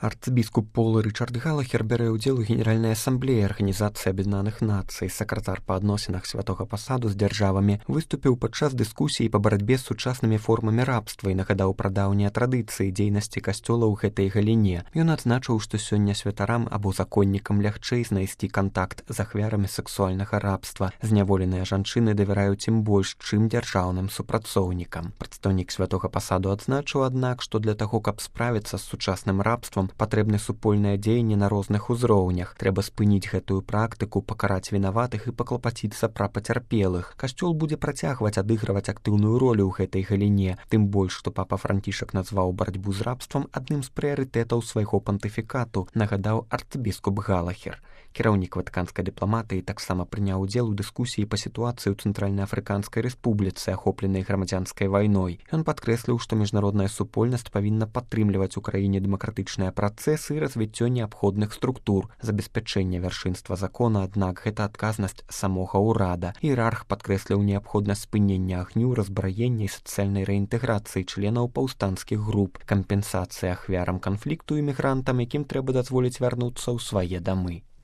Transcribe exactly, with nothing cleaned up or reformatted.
Арцбіскуп Пол Ричард Галахер бярэ ўдзел у Генеральнай асамблеі Арганізацыі Аб'яднаных Нацый. Сакратар па адносінах святога пасаду з дзяржавамі выступіў падчас дыскусіі па барацьбе з сучаснымі формамі рабства і нагадаў пра даўнія традыцыі дзейнасці касцёла ў гэтай галіне. Ён адзначыў, што сёння святарам або законнікам лягчэй знайсці кантакт з ахвярамі сексуальнага рабства. Зняволеныя жанчыны давяраюць ім больш, чым дзяржаўным супрацоўнікам. Прадстаўнік святога пасаду адзначыў, аднак, што для таго, каб справіцца з сучасным рабствам, патрэбны супольнае дзеянне на розных узроўнях. Трэба спыніць гэтую практыку, пакараць вінаватых і паклапаціцца пра пацярпелых. Касцёл будзе працягваць адыгрываць актыўную ролю ў гэтай галіне, тым больш, што папа Францішак назваў барацьбу з рабствам адным з прыярытэтаў свайго пантыфікату, нагадаў арцбіскуп Галахер. Кіраўнік ватыканскай дыпламатыі таксама прыняў удзел у дыскусіі па сітуацыі ў Цэнтральнаафрыканскай рэспубліцы, ахопленай грамадзянскай вайной. Ён падкрэсліў, што міжнародная супольнасць павінна падтрымліваць у краіне дэмакратычныя працэсы і развіццё неабходных структур, забеспячэння вяршынства закона, аднак гэта адказнасць самога ўрада. Іерарх падкрэсліў неабходнасць спынення агню, разбраення і сацыяльнай рэінтэграцыі членаў паўстанцкіх груп, кампенсацыя ахвярам канфлікту і мігрантам, якім трэба дазволіць вярнуцца ў свае дамы.